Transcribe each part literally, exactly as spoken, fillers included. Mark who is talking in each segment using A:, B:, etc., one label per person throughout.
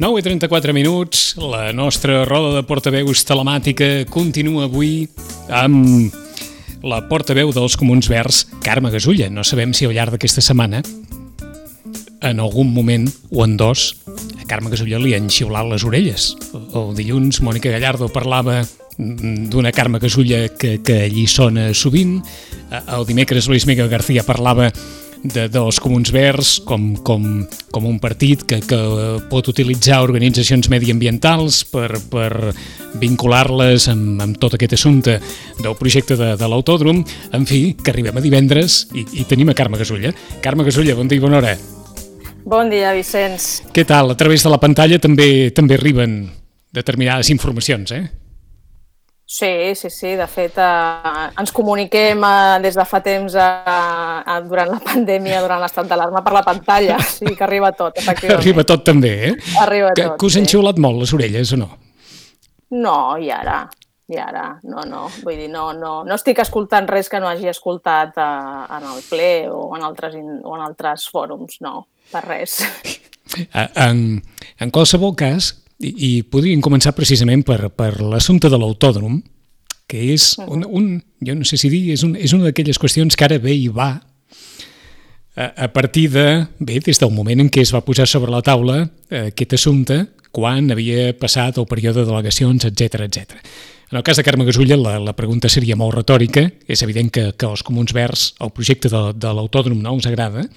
A: nou i trenta-quatre minuts, la nostra roda de portaveus telemàtica continua avui amb la portaveu dels Comuns Verds, Carme Gasulla. No sabem si al llarg d'aquesta setmana, en algun moment o en dos, a Carme Gasulla li han xiulat les orelles. El dilluns, Mònica Gallardo parlava d'una Carme Gasulla que, que allí sona sovint. El dimecres, Luis Miguel García parlava de, dels Comuns Verds com, com, com un partit que, que pot utilitzar organitzacions mediambientals per, per vincular-les amb, amb tot aquest assumpte del projecte de, de l'autòdrom. En fi, que arribem a divendres i, i tenim a Carme Gasulla. Carme Gasulla, bon dia i bona hora.
B: Bon dia, Vicenç.
A: Què tal? A través de la pantalla també també arriben determinades informacions, eh?
B: Sí, sí, sí. De fet, eh, ens comuniquem eh, des de fa temps eh, eh, durant la pandèmia, durant l'estat d'alarma, per la pantalla. Sí, que arriba tot, efectivament.
A: Arriba tot també, eh?
B: Arriba
A: que,
B: tot,
A: que us han
B: sí.
A: xiulat molt les orelles, o no?
B: No, i ara, i ara, no, no. Vull dir, no, no, no estic escoltant res que no hagi escoltat eh, en el ple o en altres, in, o en altres fòrums, no, per res.
A: En, en qualsevol cas, i, i podríem començar precisament per, per l'assumpte de l'autòdrom, que és un, un, jo no sé si dir, és, un, és una d'aquelles qüestions que ara ve i va a, a partir de, bé, des del moment en què es va posar sobre la taula eh, aquest assumpte, quan havia passat el període de delegacions, etcètera, etcètera. En el cas de Carme Gasulla, la, la pregunta seria molt retòrica. És evident que, que als Comuns Verds el projecte de, de l'autòdrom no us agrada.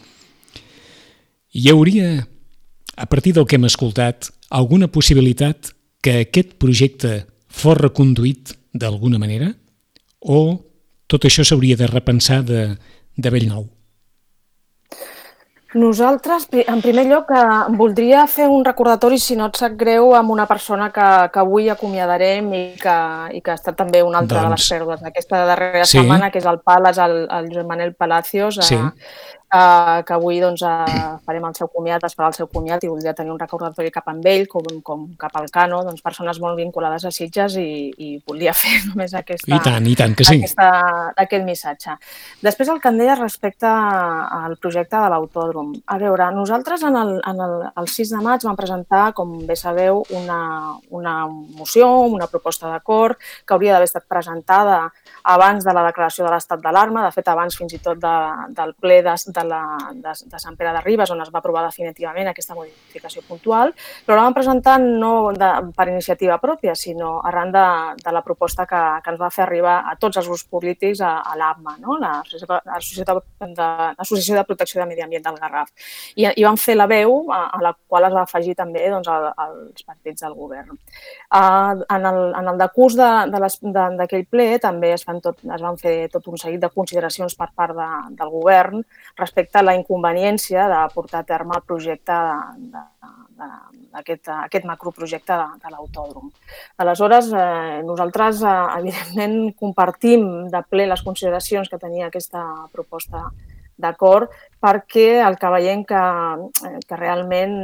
A: Hi hauria, a partir del que hem escoltat, alguna possibilitat que aquest projecte fos reconduït d'alguna manera? O tot això s'hauria de repensar de, de bell nou?
B: Nosaltres, en primer lloc, voldria fer un recordatori, si no et sap greu, amb una persona que, que avui acomiadarem i que, i que ha estat també una altra doncs... de les pèrdues d'aquesta darrera sí. setmana, que és el Pal, és el, el Josep Manel Palacios, sí. eh, Uh, que avui doncs, uh, farem el seu comiat, es farà el seu comiat i voldria tenir un recordatori cap amb ell, com, com cap al Cano, doncs, persones molt vinculades a Sitges i, i volia fer només aquesta,
A: I tant, i tant que sí.
B: aquesta, aquest missatge. Després el que em deia respecte al projecte de l'autòdrom. A veure, nosaltres en el, en el, el sis de maig vam presentar, com bé sabeu, una, una moció, una proposta d'acord que hauria d'haver estat presentada abans de la declaració de l'estat d'alarma, de fet abans fins i tot de, del ple de, de, la, de, de Sant Pere de Ribes, on es va aprovar definitivament aquesta modificació puntual, però la vam presentar no de, per iniciativa pròpia, sinó arran de, de la proposta que, que ens va fer arribar a tots els grups polítics a, a l'A M A, no? l'Associació de, de Protecció de Medi Ambient del Garraf. I, i vam fer la veu, a, a la qual es va afegir també doncs, el, els partits del govern. Uh, en, el, en el decurs d'aquell ple també es Tot, es van fer tot un seguit de consideracions per part de, del govern respecte a la inconveniència de portar a terme el projecte d'aquest aquest macroprojecte de, de l'autòdrom. Aleshores, eh, nosaltres, eh, evidentment, compartim de ple les consideracions que tenia aquesta proposta d'acord, perquè el que veiem que, que realment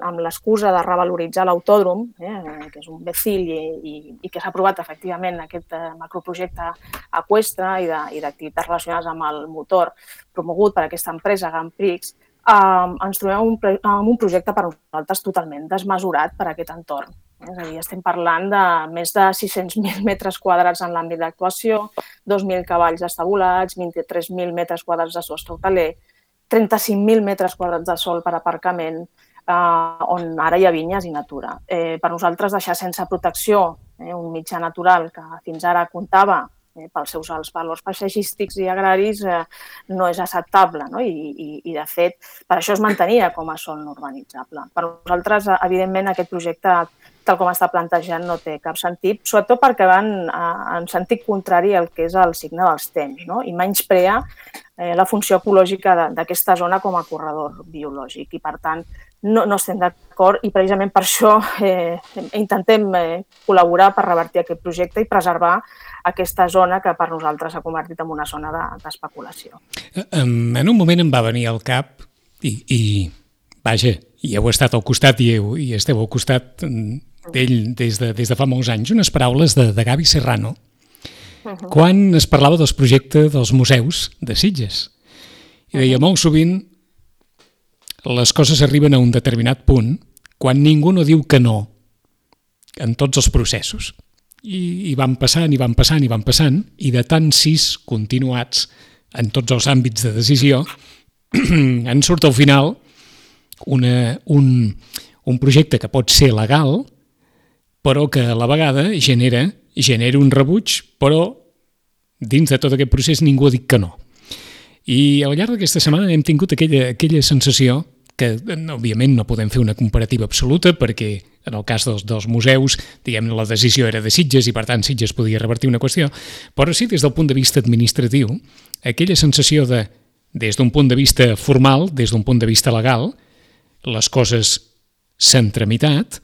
B: amb l'excusa de revaloritzar l'autòdrom, eh, que és un bé fill i, i, i que s'ha aprovat efectivament aquest macroprojecte eqüestre i d'activitats relacionades amb el motor promogut per aquesta empresa Grand Prix, eh, ens trobem un, amb un projecte per nosaltres totalment desmesurat per a aquest entorn. És a dir, estem parlant de més de sis-cents mil metres quadrats en l'àmbit d'actuació, dos mil cavalls estabulats, vint-i-tres mil metres quadrats de sostre hoteler, trenta-cinc mil metres quadrats de sòl per aparcament, eh, on ara hi ha vinyes i natura. Eh, per nosaltres, deixar sense protecció eh, un mitjà natural que fins ara comptava eh, pels seus alts valors paisatgístics i agraris eh, no és acceptable, no? I, i, i, de fet, per això es mantenia com a sòl no urbanitzable. Per nosaltres, evidentment, aquest projecte, tal com està plantejant, no té cap sentit, sobretot perquè van en sentit contrari al que és el signe dels temps, no? I menysprea eh, la funció ecològica d'aquesta zona com a corredor biològic. I, per tant, no, no estem d'acord i precisament per això eh, intentem eh, col·laborar per revertir aquest projecte i preservar aquesta zona que per nosaltres s'ha convertit en una zona d'especulació.
A: En un moment em va venir al cap i, i vaja, i heu estat al costat i, heu, i esteu al costat d'ell des de, des de fa molts anys, unes paraules de, de Gavi Serrano, uh-huh. quan es parlava dels projectes dels museus de Sitges. I deia, molt sovint les coses arriben a un determinat punt quan ningú no diu que no en tots els processos. I, i van passant, i van passant, i van passant, i de tant sis continuats en tots els àmbits de decisió, en surt al final una, un, un projecte que pot ser legal, però que a la vegada genera, genera un rebuig, però dins de tot aquest procés ningú ha dit que no. I al llarg d'aquesta setmana hem tingut aquella, aquella sensació que, òbviament, no podem fer una comparativa absoluta perquè en el cas dels, dels museus, diguem, la decisió era de Sitges i, per tant, Sitges podia revertir una qüestió, però sí, des del punt de vista administratiu, aquella sensació de, des d'un punt de vista formal, des d'un punt de vista legal, les coses s'han tramitat,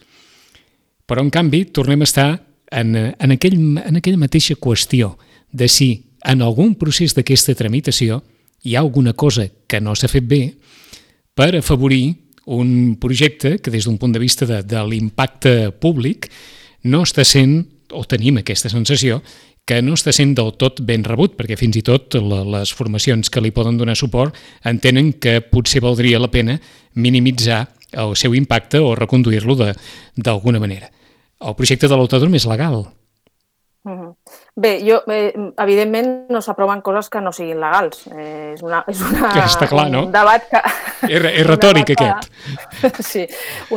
A: però, en canvi, tornem a estar en, en, aquell, en aquella mateixa qüestió de si en algun procés d'aquesta tramitació hi ha alguna cosa que no s'ha fet bé per afavorir un projecte que des d'un punt de vista de, de l'impacte públic no està sent, o tenim aquesta sensació, que no està sent del tot ben rebut, perquè fins i tot la, les formacions que li poden donar suport entenen que potser valdria la pena minimitzar el seu impacte o reconduir-lo d'alguna manera. El projecte de l'autòdrom és legal.
B: Mm-hmm. Bé, jo, eh, evidentment no s'aproven coses que no siguin legals. Eh, és una, és una,
A: ja està clar, no?
B: Un debat que...
A: És, és retòric, que,
B: aquest. Sí,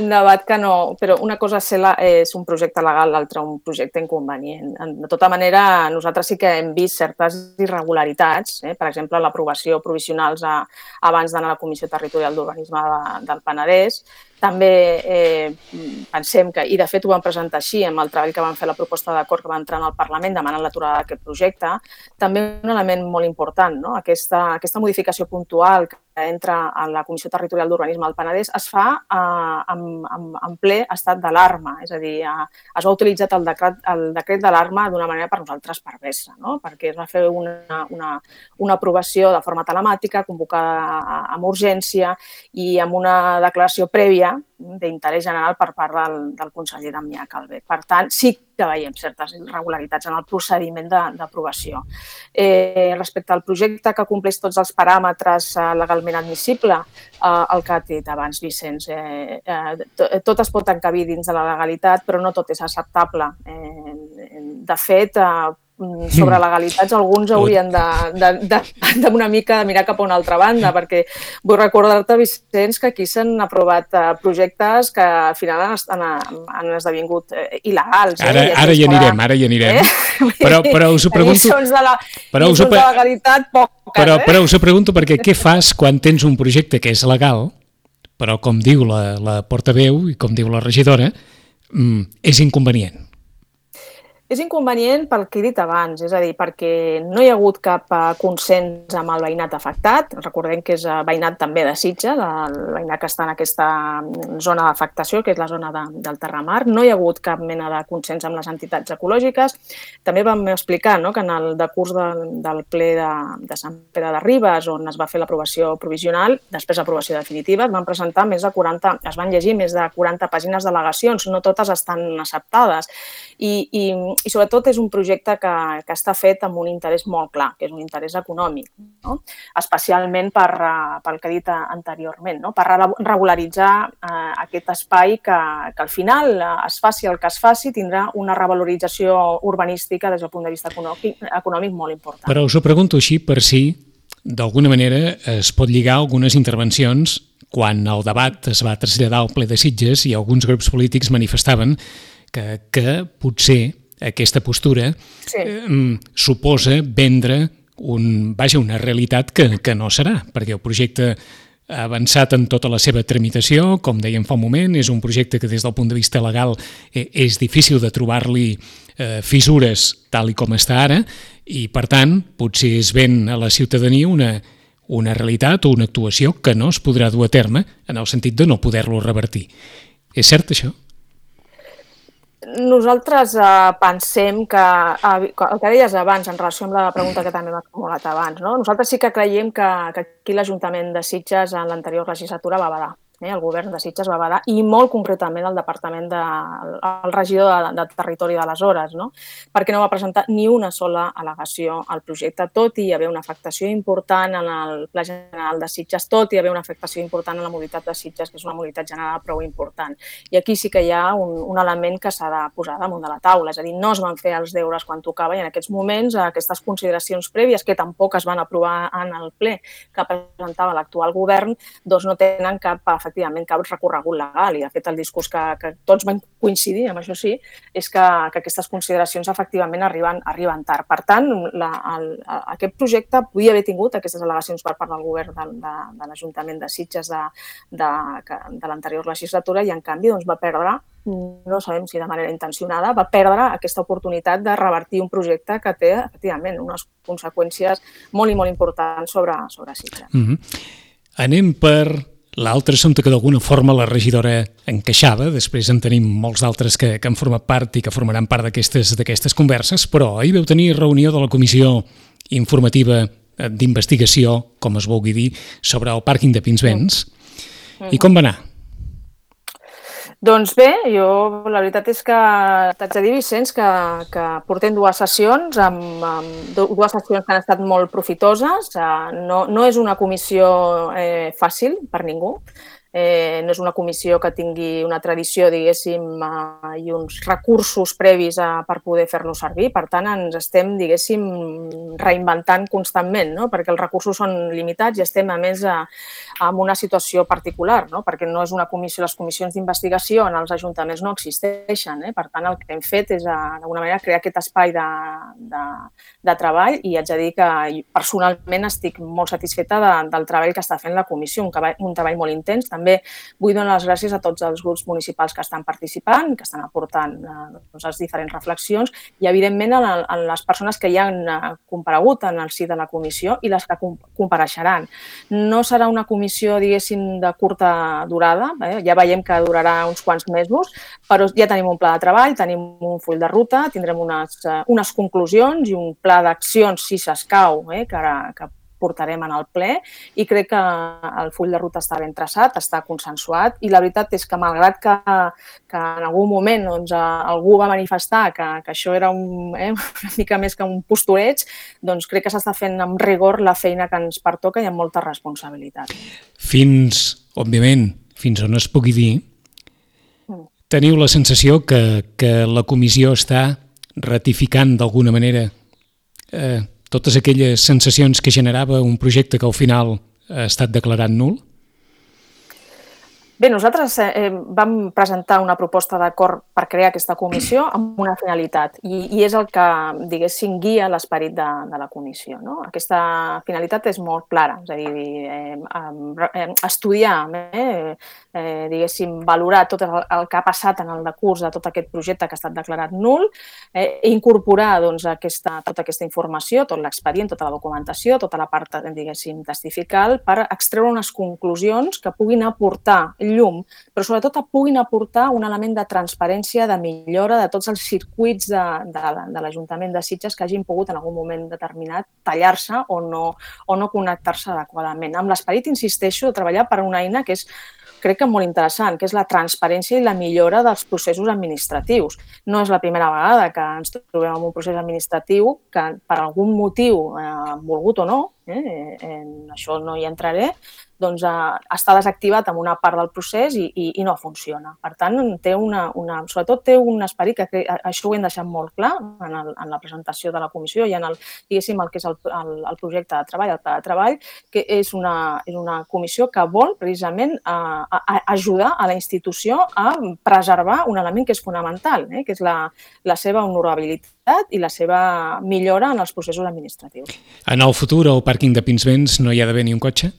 B: un debat que no... Però una cosa és un projecte legal, l'altra un projecte inconvenient. De tota manera, nosaltres sí que hem vist certes irregularitats, eh? Per exemple, l'aprovació provisionals a, abans d'anar a la Comissió Territorial d'Urbanisme de, del Penedès. També eh, pensem que, i de fet ho vam presentar així amb el treball que vam fer la proposta d'acord que va entrar en el Parlament demanant l'aturada d'aquest projecte, també un element molt important, no? Aquesta, aquesta modificació puntual que entra a la Comissió Territorial d'Urbanisme del Penedès es fa eh, en, en, en ple estat d'alarma, és a dir, eh, es va utilitzar el decret, el decret d'alarma d'una manera per nosaltres perversa, no? Perquè es va fer una, una, una aprovació de forma telemàtica, convocada amb urgència i amb una declaració prèvia d'interès general per part del, del conseller Damià Calvet. Per tant, sí que veiem certes irregularitats en el procediment d'aprovació. Eh, respecte al projecte que compleix tots els paràmetres eh, legalment admissible, eh, el que ha dit abans Vicenç, eh, eh, tot es pot encabir dins de la legalitat, però no tot és acceptable. Eh, de fet, eh, sobre legalitats alguns haurien de, de, de, de una mica de mirar cap a una altra banda, perquè vull recordar-te, Vicenç, que aquí s'han aprovat projectes que al final han, han esdevingut il·legals.
A: Ara,
B: eh?
A: ara hi anirem, ara hi anirem. Eh? Però, però us ho pregunto...
B: Lliçons de la,
A: però us ho,
B: de legalitat poques,
A: però,
B: eh?
A: però us ho pregunto perquè què fas quan tens un projecte que és legal, però com diu la, la portaveu i com diu la regidora, és inconvenient?
B: És inconvenient pel que he dit abans, és a dir, perquè no hi ha hagut cap consens amb el veïnat afectat. Recordem que és veïnat també de Sitges, el veïnat que està en aquesta zona d'afectació, que és la zona de, del Terramar. No hi ha hagut cap mena de consens amb les entitats ecològiques. També vam explicar, no?, que en el decurs del, del ple de, de Sant Pere de Ribes, on es va fer l'aprovació provisional, després l'aprovació definitiva, es van presentar més de quaranta, es van llegir més de quaranta pàgines d'al·legacions, no totes estan acceptades. I, i, i sobretot és un projecte que, que està fet amb un interès molt clar, que és un interès econòmic, no? Especialment per, pel que he dit anteriorment, no? Per regularitzar eh, aquest espai que, que al final es faci el que es faci tindrà una revalorització urbanística des del punt de vista econòmic, econòmic molt important.
A: Però us ho pregunto així per si d'alguna manera es pot lligar algunes intervencions quan el debat es va traslladar al ple de Sitges i alguns grups polítics manifestaven que, que potser aquesta postura sí. eh, suposa vendre un, vaja, una realitat que, que no serà, perquè el projecte ha avançat en tota la seva tramitació, com dèiem fa un moment, és un projecte que des del punt de vista legal eh, és difícil de trobar-li eh, fissures tal i com està ara, i per tant potser es ven a la ciutadania una, una realitat o una actuació que no es podrà dur a terme en el sentit de no poder-lo revertir. És cert això?
B: Nosaltres eh, pensem que, eh, el que deies abans en relació amb la pregunta que també m'ha formulat abans, no? Nosaltres sí que creiem que, que aquí l'Ajuntament de Sitges en l'anterior legislatura va badar el govern de Sitges va badar, i molt concretament el departament de, el regidor de, de territori d'aleshores, no? Perquè no va presentar ni una sola al·legació al projecte, tot i haver una afectació important en el Pla General de Sitges, tot i haver una afectació important en la mobilitat de Sitges, que és una mobilitat general prou important. I aquí sí que hi ha un, un element que s'ha de posar damunt de la taula, és a dir, no es van fer els deures quan tocava i en aquests moments aquestes consideracions prèvies, que tampoc es van aprovar en el ple que presentava l'actual govern, doncs no tenen cap, efectivament, cap recorregut legal. I, de fet, el discurs que, que tots van coincidir, amb això sí, és que, que aquestes consideracions efectivament arriben, arriben tard. Per tant, la, el, aquest projecte podia haver tingut aquestes al·legacions per part del govern de, de, de l'Ajuntament de Sitges de, de, de l'anterior legislatura i, en canvi, doncs, va perdre, no sabem si de manera intencionada, va perdre aquesta oportunitat de revertir un projecte que té, efectivament, unes conseqüències molt i molt importants sobre, sobre Sitges.
A: Mm-hmm. Anem per l'altre assumpte que d'alguna forma la regidora encaixava, després en tenim molts d'altres que, que han format part i que formaran part d'aquestes d'aquestes converses, però ahir vau tenir reunió de la Comissió Informativa d'Investigació, com es vulgui dir, sobre el pàrquing de Pinsbens. Mm. I com va anar?
B: Doncs bé, jo la veritat és que t'haig de dir, Vicenç, que, que portem dues sessions, amb, amb dues sessions que han estat molt profitoses. No, no és una comissió eh, fàcil per ningú. Eh, no és una comissió que tingui una tradició, diguéssim, eh, i uns recursos previs a, per poder fer-lo servir. Per tant, ens estem, diguéssim, reinventant constantment, no? Perquè els recursos són limitats i estem, a més, a, en una situació particular, no? Perquè no és una comissió, les comissions d'investigació en els ajuntaments no existeixen. Eh? Per tant, el que hem fet és, d'alguna manera, crear aquest espai de, de, de treball i haig de dir que personalment estic molt satisfeta de, del treball que està fent la comissió, un treball, un treball molt intens. També vull donar les gràcies a tots els grups municipals que estan participant, que estan aportant eh, doncs, les diferents reflexions i, evidentment, a, a les persones que ja han eh, comparegut en el si de la comissió i les que compareixeran. No serà una comissió, diguéssim, de curta durada, eh? Ja veiem que durarà uns quants mesos, però ja tenim un pla de treball, tenim un full de ruta, tindrem unes, eh, unes conclusions i un pla d'accions, si s'escau, eh? que, que portarem en el ple i crec que el full de ruta està ben traçat, està consensuat i la veritat és que malgrat que, que en algun moment doncs, algú va manifestar que, que això era un, eh, una mica més que un postureig, doncs crec que s'està fent amb rigor la feina que ens pertoca i amb molta responsabilitat.
A: Fins, òbviament, fins on es pugui dir, teniu la sensació que, que la comissió està ratificant d'alguna manera eh, totes aquelles sensacions que generava un projecte que al final ha estat declarat nul?
B: Bé, nosaltres eh, vam presentar una proposta d'acord per crear aquesta comissió amb una finalitat i, i és el que, diguéssim, guia l'esperit de, de la comissió. No? Aquesta finalitat és molt clara, és a dir, eh, eh, estudiar, eh, eh, diguéssim, valorar tot el, el que ha passat en el decurs de tot aquest projecte que ha estat declarat nul, eh, incorporar doncs, aquesta, tota aquesta informació, tot l'expedient, tota la documentació, tota la part, diguéssim, testifical, per extreure unes conclusions que puguin aportar llum, però sobretot puguin aportar un element de transparència, de millora de tots els circuits de, de, de l'Ajuntament de Sitges que hagin pogut en algun moment determinat tallar-se o no, o no connectar-se adequadament. Amb l'esperit, insisteixo, de treballar per una eina que és crec que molt interessant, que és la transparència i la millora dels processos administratius. No és la primera vegada que ens trobem en un procés administratiu que per algun motiu, eh, volgut o no, eh, en això no hi entraré, doncs eh, està desactivat en una part del procés i, i, i no funciona. Per tant, té una, una, sobretot té un esperit que, que això ho hem deixat molt clar en, el, en la presentació de la comissió i en el, diguéssim, el que és el, el, el projecte de treball, el pla de treball, que és una, és una comissió que vol precisament eh, a, a ajudar a la institució a preservar un element que és fonamental, eh, que és la, la seva honorabilitat i la seva millora en els processos administratius.
A: En el futur, al pàrquing de Pinsbens no hi ha d'haver ni un cotxe?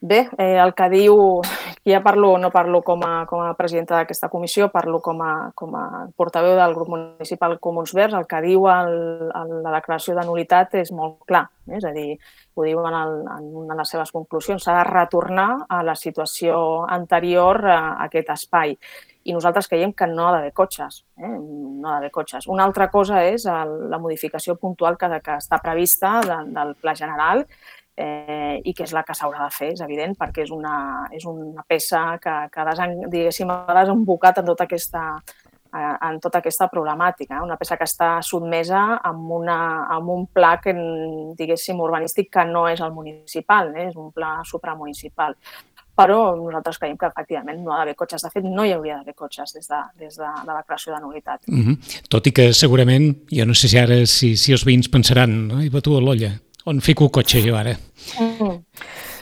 B: Bé, eh, el que diu, ja parlo, no parlo com a, com a presidenta d'aquesta comissió, parlo com a, com a portaveu del grup municipal Comuns Verds, el que diu el, el, la declaració de nulitat és molt clar, eh? És a dir, ho diu en, el, en una de les seves conclusions, s'ha de retornar a la situació anterior a aquest espai. I nosaltres creiem que no ha d'haver cotxes, eh? no ha d'haver cotxes. Una altra cosa és el, la modificació puntual que, que està prevista de, del Pla General, eh, i que és la que s'haurà de fer, és evident, perquè és una, és una peça que, que desen, diguéssim, ha desembocat en tota aquesta, en tota aquesta problemàtica, una peça que està sotmesa amb, una, amb un pla que, diguéssim, urbanístic que no és el municipal, eh? És un pla supramunicipal. Però nosaltres creiem que, efectivament, no ha d'haver cotxes. De fet, no hi hauria d'haver cotxes des de, des de la declaració de nul·litat.
A: Mm-hmm. Tot i que, segurament, jo no sé si ara si, si els veïns pensaran, no? I va tu a l'olla, on fico el cotxe jo ara?
B: Mm.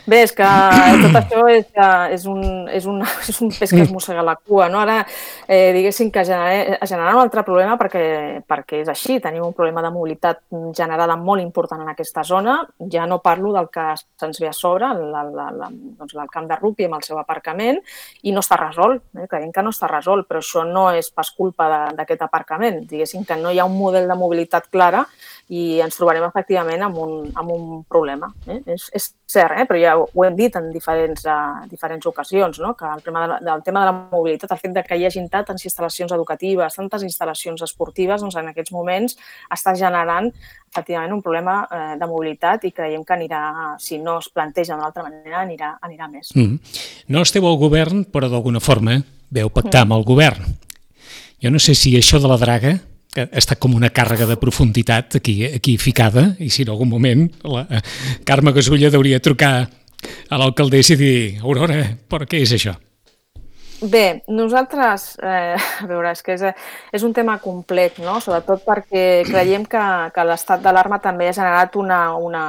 B: Bé, és que tot això és, és, un, és, un, és un pes que es mossega la cua, no? Ara, eh, diguéssim que genera, genera un altre problema perquè, perquè és així, tenim un problema de mobilitat generada molt important en aquesta zona. Ja no parlo del que se'ns ve a sobre, el, el, el, doncs el camp de rugby amb el seu aparcament, i no està resolt. Eh? Creiem que no està resolt, però això no és pas culpa d'aquest aparcament. Diguéssim que no hi ha un model de mobilitat clara i ens trobarem efectivament amb un, amb un problema. Eh? És, és cert, eh? Però ja ho hem dit en diferents, uh, diferents ocasions, no? Que el tema, de la, del tema de la mobilitat, el fet de que hi hagi tantes instal·lacions educatives, tantes instal·lacions esportives, doncs en aquests moments està generant efectivament un problema eh, de mobilitat i creiem que anirà, si no es planteja d'una altra manera, anirà, anirà més.
A: Mm. No esteu al govern, però d'alguna forma veu pactar mm. amb el govern. Jo no sé si això de la draga que està com una càrrega de profunditat aquí, aquí ficada, i si en algun moment la Carme Gasulla hauria de trucar a l'alcaldessa i dir, Aurora, per què és això?
B: Bé, nosaltres, eh, a veure, és que és, és un tema complex, no? Sobretot perquè creiem que, que l'estat d'alarma també ha generat una... una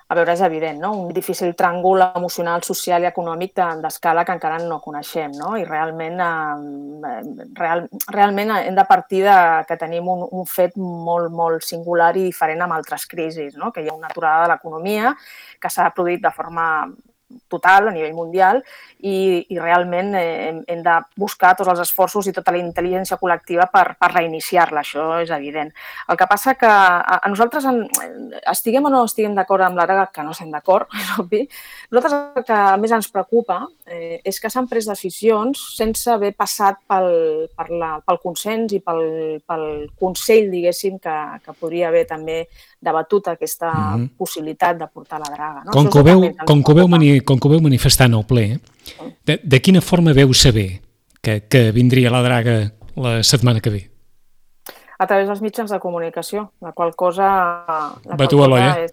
B: a veure, és evident, no? Un difícil tràngol emocional, social i econòmic d'escala que encara no coneixem, no? I realment, eh, real, realment hem de partir de que tenim un, un fet molt, molt singular i diferent amb altres crisis, no? Que hi ha una aturada de l'economia que s'ha produït de forma total a nivell mundial i, i realment eh, hem, hem de buscar tots els esforços i tota la intel·ligència col·lectiva per, per reiniciar-la, això és evident. El que passa que a, a nosaltres, en, estiguem o no estiguem d'acord amb la draga, que no estem d'acord, és obvi, nosaltres el que més ens preocupa eh, és que s'han pres decisions sense haver passat pel, per la, pel consens i pel, pel consell, diguéssim, que, que podria haver també debatut aquesta mm-hmm. possibilitat de portar la draga. No?
A: Com, que veu, com, que veu mani, com que veu manifestar en el ple, de, de quina forma veu saber que, que vindria la draga la setmana que ve?
B: A través dels mitjans de comunicació, la qual cosa... La
A: Va tu a l'olla?
B: És,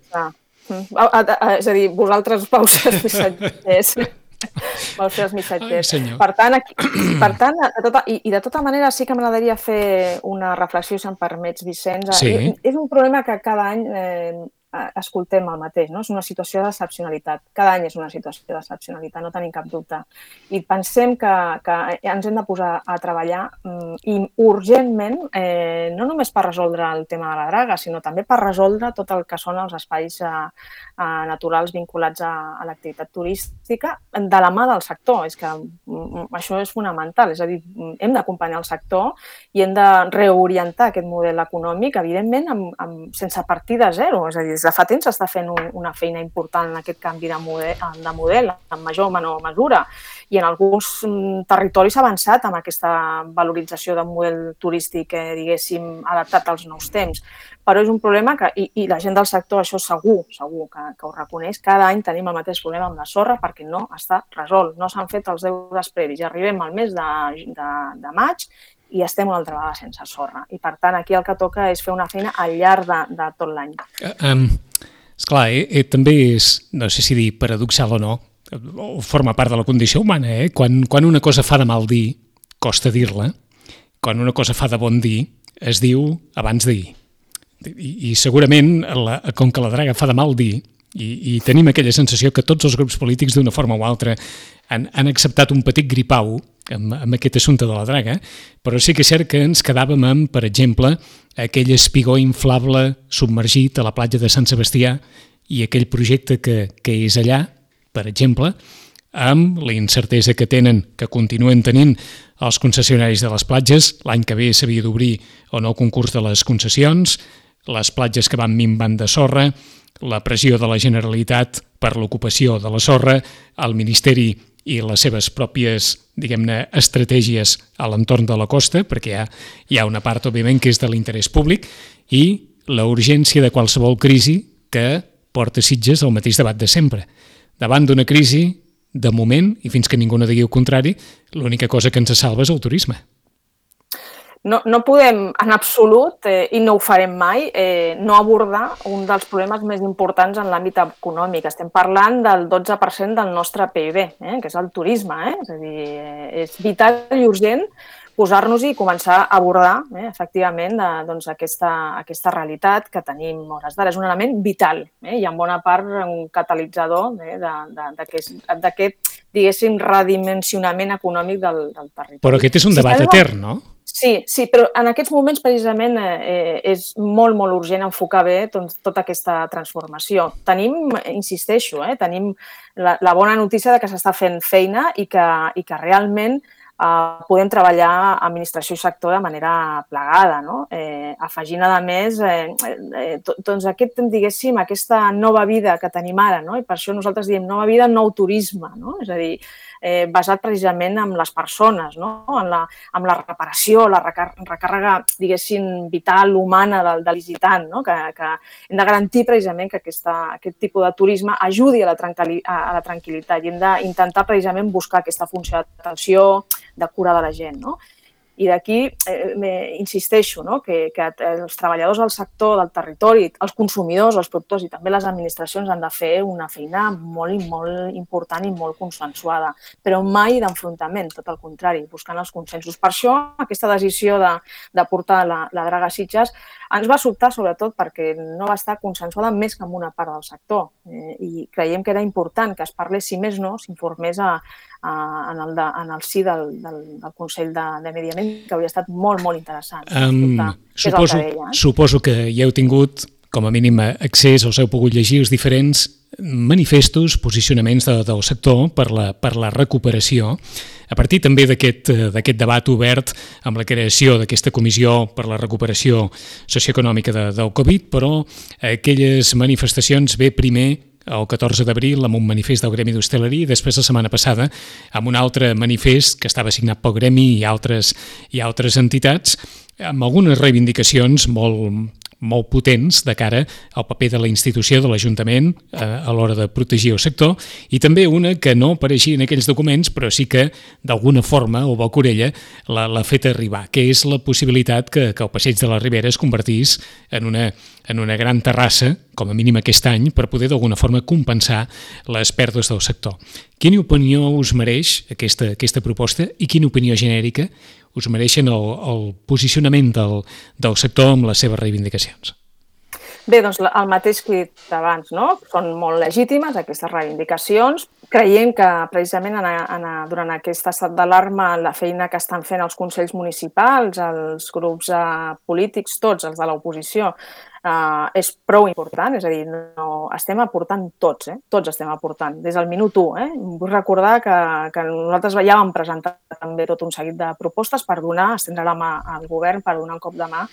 B: és a dir, vosaltres vau ser els missatgers. Vau ser els missatgers.
A: Ai,
B: per tant, aquí, per tant de tota, i, i de tota manera sí que m'agradaria fer una reflexió, si em permets, Vicenç.
A: Sí.
B: És un problema que cada any eh, escoltem el mateix, no? És una situació d'excepcionalitat. Cada any és una situació d'excepcionalitat, no tenim cap dubte. I pensem que, que ens hem de posar a treballar um, i urgentment, eh, no només per resoldre el tema de la draga, sinó també per resoldre tot el que són els espais eh, eh, naturals vinculats a, a l'activitat turística de la mà del sector. És que um, això és fonamental, és a dir, hem d'acompanyar el sector i hem de reorientar aquest model econòmic, evidentment, amb, amb, sense partir de zero, és a dir, des de fa temps s'està fent un, una feina important en aquest canvi de model, de model, en major o menor mesura. I en alguns territoris s'ha avançat amb aquesta valorització del model turístic, eh, diguéssim, adaptat als nous temps. Però és un problema que, i, i la gent del sector, això segur, segur que, que ho reconeix, cada any tenim el mateix problema amb la sorra perquè no està resolt, no s'han fet els deures previs. I arribem al mes de, de, de maig i estem una altra vegada sense sorra. I, per tant, aquí el que toca és fer una feina al llarg de, de tot l'any.
A: Um, esclar, eh, eh, també és, no sé si dir paradoxal o no, o forma part de la condició humana, eh? Quan, quan una cosa fa de mal dir, costa dir-la. Quan una cosa fa de bon dir, es diu abans d'ahir. I, i segurament, la, com que la draga fa de mal dir, i, i tenim aquella sensació que tots els grups polítics d'una forma o altra han, han acceptat un petit gripau amb, amb aquest assumpte de la draga, però sí que és cert que ens quedàvem amb, per exemple, aquell espigó inflable submergit a la platja de Sant Sebastià i aquell projecte que, que és allà, per exemple, amb la incertesa que tenen, que continuen tenint els concessionaris de les platges. L'any que ve s'havia d'obrir o no el concurs de les concessions, les platges que van minvant de sorra, la pressió de la Generalitat per l'ocupació de la sorra, el Ministeri i les seves pròpies, diguem-ne, estratègies a l'entorn de la costa, perquè hi ha, hi ha una part, òbviament, que és de l'interès públic, i la urgència de qualsevol crisi que porta Sitges al mateix debat de sempre. Davant d'una crisi, de moment, i fins que ningú no digui el contrari, l'única cosa que ens salva és el turisme.
B: No, no podem, en absolut, eh, i no ho farem mai, eh, no abordar un dels problemes més importants en l'àmbit econòmic. Estem parlant del dotze per cent del nostre P I B, eh, que és el turisme. Eh? És a dir, eh, és vital i urgent posar-nos-hi i començar a abordar, eh, efectivament, de, doncs, aquesta, aquesta realitat que tenim a hores d'ara. És un element vital, eh, i en bona part un catalitzador eh, d'aquest, diguéssim, redimensionament econòmic del, del territori.
A: Però aquest és un debat si etern, no?
B: Sí, sí, però en aquests moments precisament eh, és molt, molt urgent enfocar bé doncs, tota aquesta transformació. Tenim, insisteixo, eh, tenim la, la bona notícia de que s'està fent feina i que, i que realment Uh, podem treballar administració i sector de manera plegada, no? Eh, afegint, a més, eh, eh, doncs aquest, diguéssim, aquesta nova vida que tenim ara, no? I per això nosaltres diem nova vida, nou turisme, no? És a dir, eh, basat precisament en les persones, no? En la, en la reparació, la recàrrega, diguéssim, vital, humana del, del visitant, no? Que, que hem de garantir precisament que aquesta, aquest tipus de turisme ajudi a la, a la tranquil·litat i hem d'intentar precisament buscar aquesta funció d'atenció, de cura de la gent, no? I d'aquí eh, insisteixo, no? que, que els treballadors del sector, del territori, els consumidors, els productors i també les administracions han de fer una feina molt, molt important i molt consensuada, però mai d'enfrontament, tot el contrari, buscant els consensos. Per això, aquesta decisió de, de portar la, la draga a Sitges ens va sobtar, sobretot, perquè no va estar consensuada més que amb una part del sector. Eh, I creiem que era important que es parlés, si més no, s'informés a, a, en, el de, en el si del, del, del Consell de, de Medi Ambient, que hauria estat molt, molt interessant.
A: Um, suposo, que deia, eh? suposo que ja heu tingut, com a mínim, accés, us heu pogut llegir els diferents manifestos, posicionaments de, del sector per la, per la recuperació, a partir també d'aquest d'aquest debat obert amb la creació d'aquesta comissió per la recuperació socioeconòmica de, del Covid, però aquelles manifestacions ve primer el catorze d'abril amb un manifest del Gremi d'Hostaleria i després la setmana passada amb un altre manifest que estava signat pel Gremi i altres, i altres entitats amb algunes reivindicacions molt, molt potents de cara al paper de la institució, de l'Ajuntament eh, a l'hora de protegir el sector i també una que no apareixia en aquells documents però sí que d'alguna forma o Balcorella l'ha fet arribar, que és la possibilitat que, que el Passeig de la Ribera es convertís en una, en una gran terrassa, com a mínim aquest any, per poder d'alguna forma compensar les pèrdues del sector. Quina opinió us mereix aquesta, aquesta proposta i quina opinió genèrica us mereixen el, el posicionament del, del sector amb les seves reivindicacions?
B: Bé, doncs el mateix que he dit abans, no? Són molt legítimes aquestes reivindicacions. Creiem que precisament en, en, durant aquest estat d'alarma la feina que estan fent els consells municipals, els grups eh, polítics, tots els de l'oposició, Uh, és prou important, és a dir, no, estem aportant tots, eh? tots estem aportant, des del minut u. Eh? Vull recordar que, que nosaltres ja vam presentar també tot un seguit de propostes per donar, estendre la mà al govern per donar un cop de mà,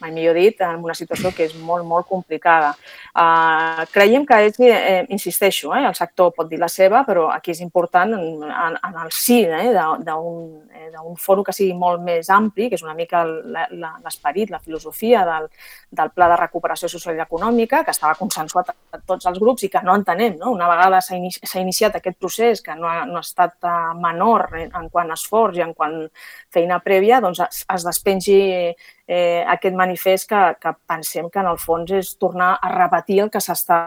B: mai millor dit, en una situació que és molt, molt complicada. Uh, creiem que, és, eh, insisteixo, eh, el sector pot dir la seva, però aquí és important en, en, en el sí eh, d'un eh, fòrum que sigui molt més ampli, que és una mica l'esperit, la filosofia del, del Pla de Recuperació Social i Econòmica, que estava consensuat a tots els grups i que no entenem. No? Una vegada s'ha inici, iniciat aquest procés, que no ha, no ha estat menor en, en quant a esforç i en quant feina prèvia, doncs es, es despengi eh, aquest manifest que, que pensem que en el fons és tornar a repetir el que s'està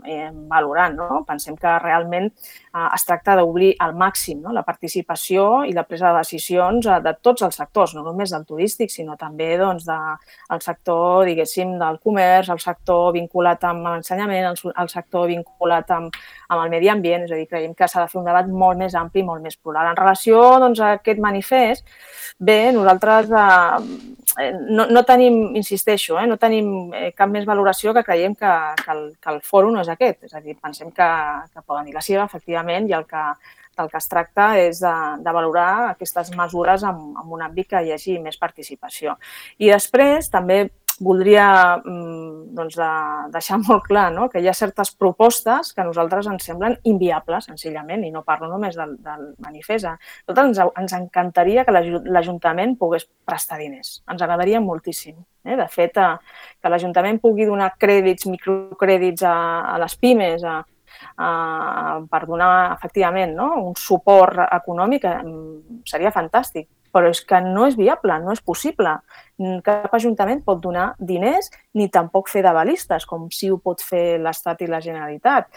B: eh, valorant. No? Pensem que realment eh, es tracta d'obrir al màxim no? la participació i la presa de decisions de tots els sectors, no només del turístic, sinó també doncs, de, el sector, diguéssim, del comerç, el sector vinculat amb l'ensenyament, el, el sector vinculat amb, amb el medi ambient. És a dir, creiem que s'ha de fer un debat molt més ampli i molt més plural. En relació doncs, a aquest manifest, bé, nosaltres eh, no, no tenim, insisteixo, eh, no tenim eh, cap més valoració que creiem que, que, el, que el fòrum no és aquest. És a dir, pensem que, que poden dir la seva, efectivament, i el que, del que es tracta és de, de valorar aquestes mesures en, en un àmbit que hi hagi més participació. I després també voldria doncs, de, deixar molt clar no? que hi ha certes propostes que a nosaltres ens semblen inviables, senzillament, i no parlo només del, del manifest. A nosaltres ens, ens encantaria que l'Ajuntament pogués prestar diners. Ens agradaria moltíssim. Eh? De fet, a, que l'Ajuntament pugui donar crèdits, microcrèdits a, a les pimes, a, a, per donar efectivament, no? un suport econòmic, seria fantàstic. Però és que no és viable, no és possible. Cap ajuntament pot donar diners ni tampoc fer d'avalistes, com sí ho pot fer l'Estat i la Generalitat.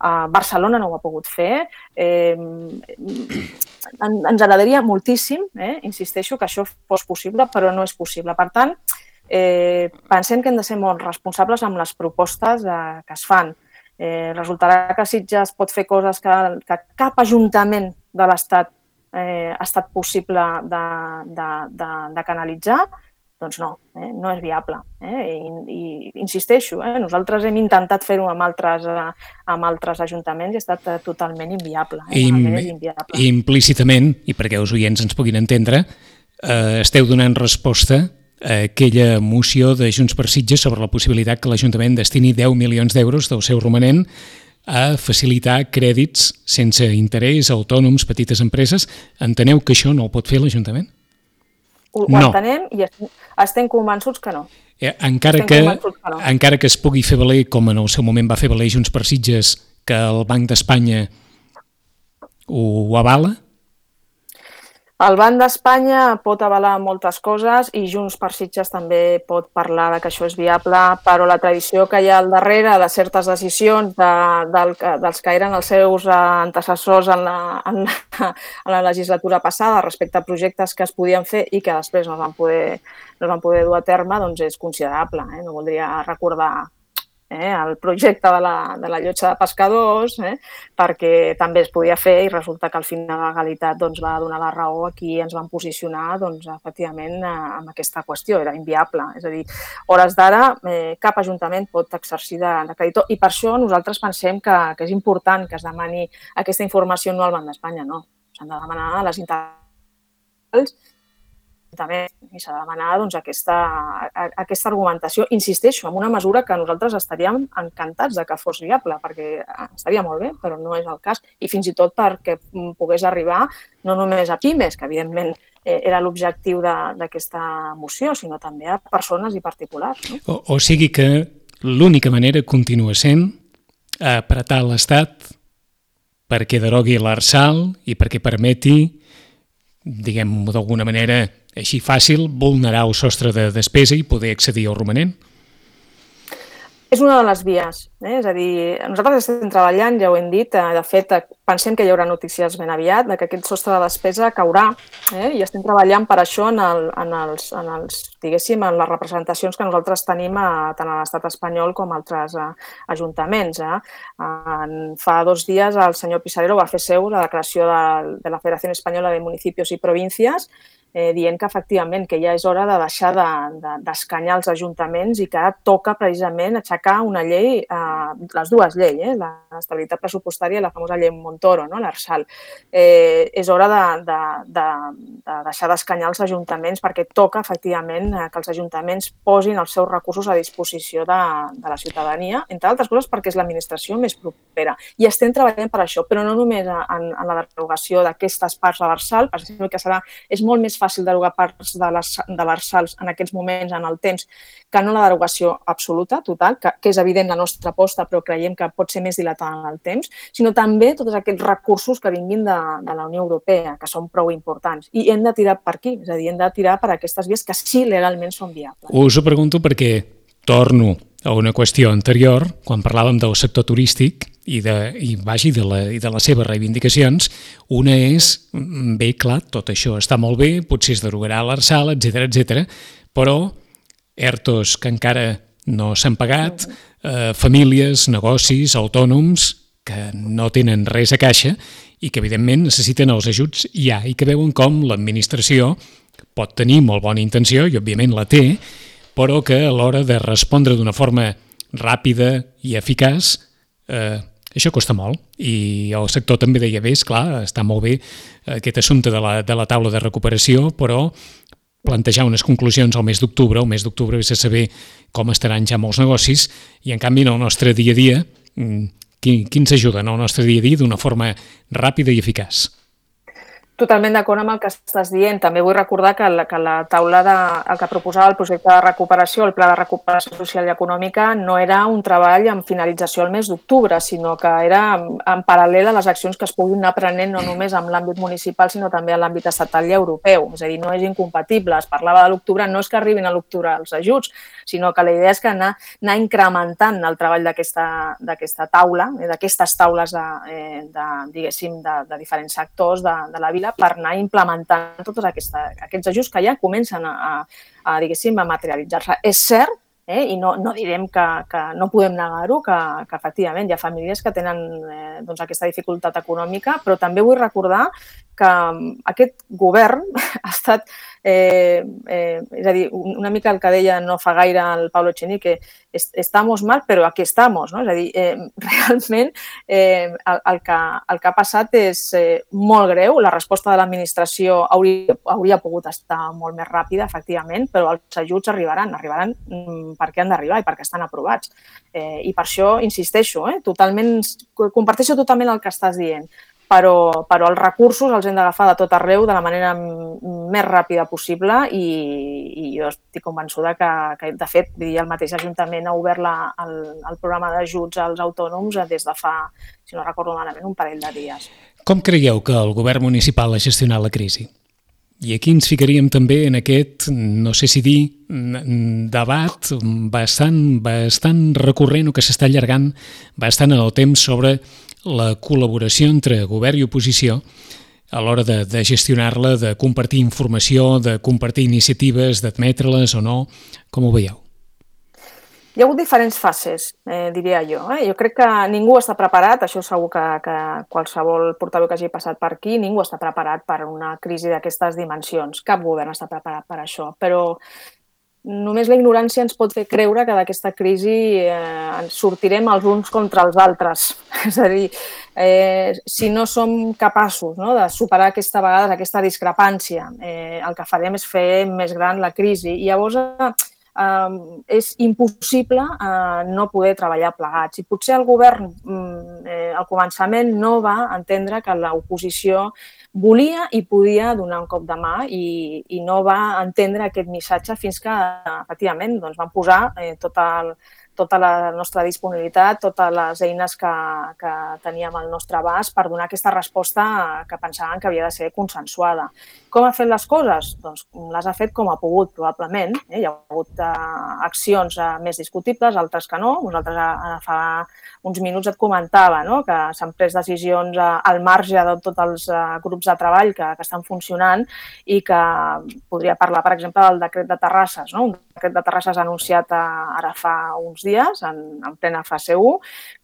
B: Uh, Barcelona no ho ha pogut fer. Eh, ens agradaria moltíssim, eh, insisteixo, que això fos possible, però no és possible. Per tant, eh, pensem que hem de ser molt responsables amb les propostes eh, que es fan. Eh, resultarà que Sitges pot fer coses que, que cap ajuntament de l'Estat eh, ha estat possible de, de, de, de canalitzar. Doncs no, eh? no és viable. Eh? I, i insisteixo, eh? nosaltres hem intentat fer-ho amb altres, eh, amb altres ajuntaments i ha estat totalment inviable. Eh?
A: Im,
B: inviable.
A: Implícitament, i perquè els oients ens puguin entendre, eh, esteu donant resposta a aquella moció de Junts per Sitges sobre la possibilitat que l'Ajuntament destini deu milions d'euros del seu romanent a facilitar crèdits sense interès a autònoms, petites empreses. Enteneu que això no ho pot fer l'Ajuntament?
B: Ho no. entenem i estem convençuts que no.
A: Eh, encara, que, que no. encara que es pugui fer valer, com en el seu moment va fer valer Junts per Sitges, que el Banc d'Espanya ho, ho avala?
B: El Banc d'Espanya pot avalar moltes coses i Junts per Sitges també pot parlar de que això és viable, però la tradició que hi ha al darrere de certes decisions de, del, dels que eren els seus antecessors en la, en, la, en la legislatura passada respecte a projectes que es podien fer i que després no es van poder, no es van poder dur a terme, doncs és considerable. Eh? No voldria recordar Eh, el projecte de la, de la llotja de pescadors, eh, perquè també es podia fer i resulta que al final la legalitat doncs, va donar la raó a qui ens van posicionar doncs, efectivament amb aquesta qüestió, era inviable. És a dir, hores d'ara eh, cap ajuntament pot exercir de, de creditor i per això nosaltres pensem que, que és important que es demani aquesta informació no al Banc d'Espanya, no. S'han de demanar a les internacionals també i s'ha de demanar doncs, aquesta, aquesta argumentació. Insisteixo, en una mesura que nosaltres estaríem encantats de que fos viable, perquè estaria molt bé, però no és el cas. I fins i tot perquè pogués arribar no només a pimes, que evidentment era l'objectiu d'aquesta moció, sinó també a persones i particulars. No?
A: O, o sigui que l'única manera continua sent apretar l'Estat perquè derogui l'Arsal i perquè permeti, diguem-ho d'alguna manera, així fàcil, vulnerar el sostre de despesa i poder accedir al romanent?
B: És una de les vies. Eh? És a dir, nosaltres estem treballant, ja ho hem dit, de fet, pensem que hi haurà notícies ben aviat, de que aquest sostre de despesa caurà, eh? i estem treballant per això en, el, en, els, en, els, diguéssim, en les representacions que nosaltres tenim a, tant a l'estat espanyol com a altres a, ajuntaments. Eh? En, fa dos dies el senyor Pisarero va fer seu la declaració de, de la Federació Espanyola de Municipios i Províncies Eh, dient que efectivament que ja és hora de deixar d'escanyar de, de, els ajuntaments i que toca precisament aixecar una llei, eh, les dues lleis, eh, l'estabilitat pressupostària i la famosa llei Montoro, no, l'Arsal. Eh, és hora de, de, de, de deixar d'escanyar els ajuntaments perquè toca efectivament que els ajuntaments posin els seus recursos a disposició de, de la ciutadania, entre altres coses perquè és l'administració més propera. I estem treballant per això, però no només en, en la derogació d'aquestes parts de l'Arsal, perquè que serà, és molt més fàcil derogar parts de l'Arsal en aquests moments, en el temps, que no la derogació absoluta, total, que, que és evident la nostra aposta, però creiem que pot ser més dilatada en el temps, sinó també tots aquests recursos que vinguin de, de la Unió Europea, que són prou importants. I hem de tirar per aquí, és a dir, hem de tirar per aquestes vies que sí legalment són viables.
A: Us ho pregunto perquè torno a una qüestió anterior, quan parlàvem del sector turístic i de, i, vagi, de, la, i de les seves reivindicacions. Una és, bé, clar, tot això està molt bé, potser es derogarà l'Arsal, etcètera, etcètera, però ERTOs que encara no s'han pagat, eh, famílies, negocis, autònoms que no tenen res a caixa i que, evidentment, necessiten els ajuts ja i que veuen com l'administració pot tenir molt bona intenció, i òbviament la té, però que a l'hora de respondre d'una forma ràpida i eficaç, eh, això costa molt. I el sector també deia, bé, esclar, està molt bé aquest assumpte de la, de la taula de recuperació, però plantejar unes conclusions al mes d'octubre, el mes d'octubre és a saber com estaran ja molts negocis, i en canvi en el nostre dia a dia, qui, qui ens ajuda en el nostre dia a dia d'una forma ràpida i eficaç?
B: Totalment d'acord amb el que estàs dient. També vull recordar que la, que la taula de, el que proposava el projecte de recuperació, el Pla de Recuperació Social i Econòmica, no era un treball amb finalització al mes d'octubre, sinó que era en, en paral·lel a les accions que es puguin anar prenent no només en l'àmbit municipal, sinó també en l'àmbit estatal i europeu. És a dir, no és incompatible. Es parlava de l'octubre, no és que arribin a l'octubre els ajuts, sinó que la idea és que anar, anar incrementant el treball d'aquesta taula, d'aquestes taules de, de, diguéssim, de, de diferents sectors de, de la vila, per anar implementant tots aquesta, aquests ajuts que ja comencen a, a, a, diguéssim, a materialitzar-se. És cert, eh, i no, no direm que, que no podem negar-ho, que, que efectivament hi ha famílies que tenen eh, doncs aquesta dificultat econòmica, però també vull recordar que aquest govern ha estat, eh, eh, és a dir, una mica el que deia no fa gaire el Pablo Echenique, que estamos mal, però aquí estamos, no? És a dir, eh, realment eh, el, el, que, el que ha passat és eh, molt greu, la resposta de l'administració hauria, hauria pogut estar molt més ràpida, efectivament, però els ajuts arribaran, arribaran perquè han d'arribar i perquè estan aprovats. Eh, I per això insisteixo, eh, totalment, comparteixo totalment el que estàs dient. Però, però els recursos els hem d'agafar de tot arreu de la manera més ràpida possible i, i jo estic convençuda que, que de fet, el mateix Ajuntament ha obert la, el, el programa d'ajuts als autònoms des de fa, si no recordo malament, un parell de dies.
A: Com creieu que el govern municipal ha gestionat la crisi? I aquí ens ficaríem també en aquest, no sé si dir, debat bastant, bastant recurrent o que s'està allargant bastant en el temps sobre la col·laboració entre govern i oposició a l'hora de, de gestionar-la, de compartir informació, de compartir iniciatives, d'admetre-les o no. Com ho veieu?
B: Hi ha hagut diferents fases, eh, diria jo. Eh? Jo crec que ningú està preparat, això segur que, que qualsevol portaveu que hagi passat per aquí, ningú està preparat per una crisi d'aquestes dimensions. Cap govern està preparat per això, però només la ignorància ens pot fer creure que d'aquesta crisi eh, ens sortirem els uns contra els altres. És a dir, eh, si no som capaços, no, de superar aquesta vegada aquesta discrepància, eh, el que farem és fer més gran la crisi. I llavors eh, és impossible eh, no poder treballar plegats. I potser el govern eh, al començament no va entendre que l'oposició volia i podia donar un cop de mà i, i no va entendre aquest missatge fins que, efectivament, doncs, van posar eh, tot el, tota la nostra disponibilitat, totes les eines que, que teníem al nostre abast per donar aquesta resposta que pensaven que havia de ser consensuada. Com ha fet les coses? Doncs les ha fet com ha pogut, probablement. Eh? Hi ha hagut eh, accions eh, més discutibles, altres que no. Nosaltres eh, fa uns minuts et comentava, no?, que s'han pres decisions eh, al marge de tots els eh, grups de treball que, que estan funcionant i que podria parlar, per exemple, del decret de terrasses. No? Un decret de terrasses anunciat eh, ara fa uns dies, en, en plena fase u,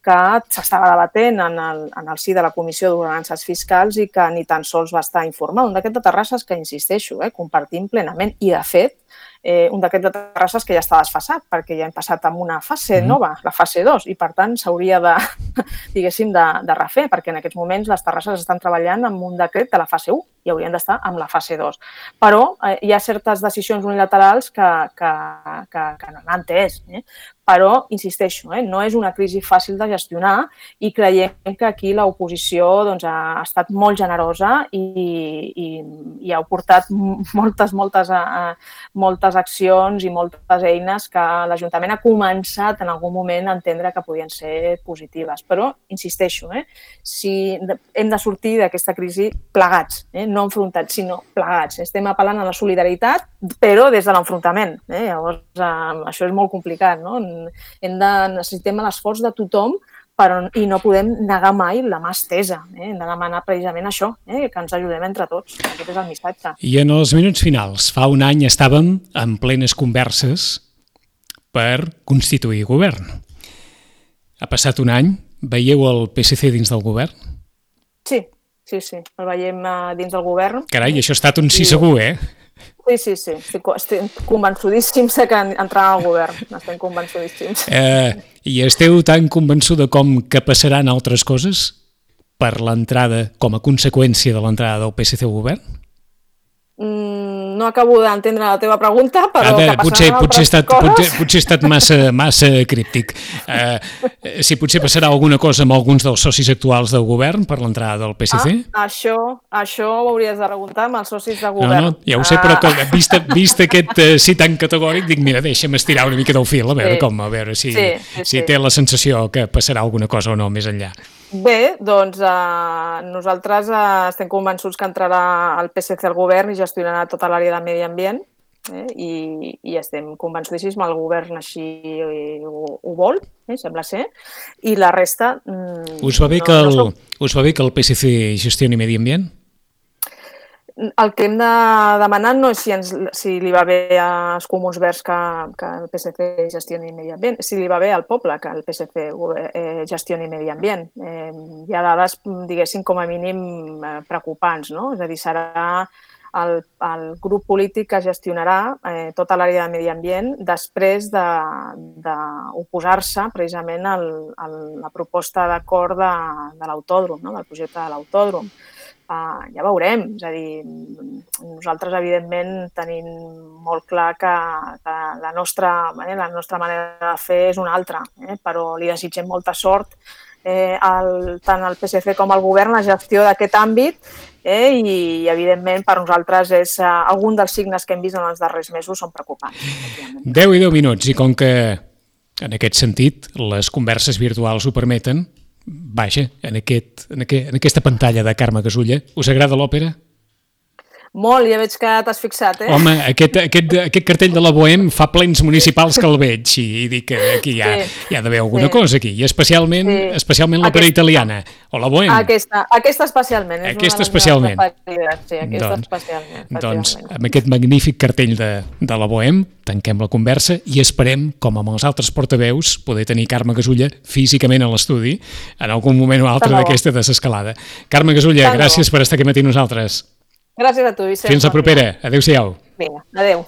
B: que s'estava debatent en el, en el si de la Comissió d'Ordenances Fiscals i que ni tan sols va estar informat. Un decret de terrasses que, insisteixo, eh, compartim plenament i, de fet, eh, un decret de terrasses que ja està desfasat perquè ja hem passat a una fase nova, la fase dos, i per tant s'hauria de, diguéssim, de, de refer, perquè en aquests moments les terrasses estan treballant amb un decret de la fase u i haurien d'estar amb la fase dos. Però eh, hi ha certes decisions unilaterals que, que, que, que no han entès, eh? Però, insisteixo, eh, no és una crisi fàcil de gestionar i creiem que aquí l'oposició doncs, ha estat molt generosa i, i, i ha portat moltes, moltes, moltes accions i moltes eines que l'Ajuntament ha començat en algun moment a entendre que podien ser positives. Però, insisteixo, eh, si hem de sortir d'aquesta crisi plegats, eh, no enfrontats, sinó plegats. Estem apel·lant a la solidaritat, però des de l'enfrontament. Eh? Llavors, eh, això és molt complicat, no? Hem de, necessitem l'esforç de tothom però, i no podem negar mai la mà estesa. Eh? Hem de demanar precisament això, eh? Que ens ajudem entre tots. Aquest és el missatge.
A: I en els minuts finals, fa un any estàvem en plenes converses per constituir govern. Ha passat un any, veieu el P S C dins del govern?
B: Sí, sí, sí, el veiem dins del govern.
A: Carai, això ha estat un sí segur, eh?
B: Sí, sí, sí. Estic, estic convençudíssims que entrarà al govern. Estem convençudíssims.
A: Eh, I esteu tan convençuda com que passaran altres coses per l'entrada, com a conseqüència de l'entrada del P S C al govern?
B: Mm, no acabo d'entendre la teva pregunta, però
A: Ara,
B: que
A: potser,
B: passaran
A: potser, he
B: altres
A: estat,
B: coses.
A: potser, potser he estat massa, massa críptic. Uh, si potser passarà alguna cosa amb alguns dels socis actuals del govern per l'entrada del P S C?
B: Ah, això, això ho hauries de preguntar amb els socis de
A: No,
B: govern.
A: no, ja ho sé, però que, vist, vist aquest uh, sí tan categòric, dic, mira, deixa'm estirar una mica del fil, a veure
B: Sí.
A: com, a veure si,
B: Sí, sí,
A: si
B: sí.
A: té la sensació que passarà alguna cosa o no més enllà.
B: Bé, doncs eh, nosaltres eh, estem convençuts que entrarà el P S C al govern i gestionarà tota l'àrea de medi ambient, eh? I, i estem convençudíssims, el govern així ho, ho vol, eh? Sembla ser, i la resta... Mm,
A: Us va bé,
B: no,
A: que, el,
B: no som...
A: us va bé que el P S C gestioni medi ambient?
B: El que hem de demanar no és si, ens, si li va bé als Comuns Verds que, que el P S C gestioni medi ambient, si li va bé al poble que el P S C eh, gestioni medi ambient. Eh, hi ha dades, diguéssim, com a mínim eh, preocupants, no? És a dir, serà el, el grup polític que gestionarà eh, tota l'àrea de medi ambient després d'oposar-se precisament a la proposta d'acord de, de l'autòdrom, no? Del projecte de l'autòdrom. Uh, ja veurem, és a dir, nosaltres evidentment tenim molt clar que, que la, nostra, eh, la nostra manera de fer és una altra, eh, però li desitgem molta sort eh, al, tant al P S C com al govern la gestió d'aquest àmbit eh, i evidentment per nosaltres és uh, algun dels signes que hem vist en els darrers mesos són preocupants.
A: deu i deu minuts i com que en aquest sentit les converses virtuals ho permeten, vaja, en, aquest, en, aquest, en aquesta pantalla de Carme Gasulla, us agrada l'òpera?
B: Molt, ja veig que t'has fixat, eh?
A: Home, aquest, aquest, aquest cartell de la Bohem fa plens municipals que el veig i, i dic que aquí hi ha,
B: Sí.
A: hi ha d'haver alguna
B: Sí.
A: cosa aquí, i especialment,
B: Sí.
A: especialment l'òpera
B: Aquesta.
A: italiana, o la Bohem.
B: Aquesta, aquesta especialment. És
A: Aquesta
B: una de les
A: especialment.
B: meves preferides, sí, aquesta
A: Doncs-
B: especialment.
A: Doncs
B: efectivament.
A: amb aquest magnífic cartell de, de la Bohem tanquem la conversa i esperem, com amb els altres portaveus, poder tenir Carme Gasulla físicament a l'estudi en algun moment o altre
B: Tant de bo.
A: d'aquesta desescalada. Carme Gasulla,
B: Tant de bo.
A: gràcies per estar aquí matí nosaltres.
B: Gràcies a tu, Vicent.
A: Fins la
B: Bon dia.
A: propera. Adéu-siau.
B: Vinga, adéu.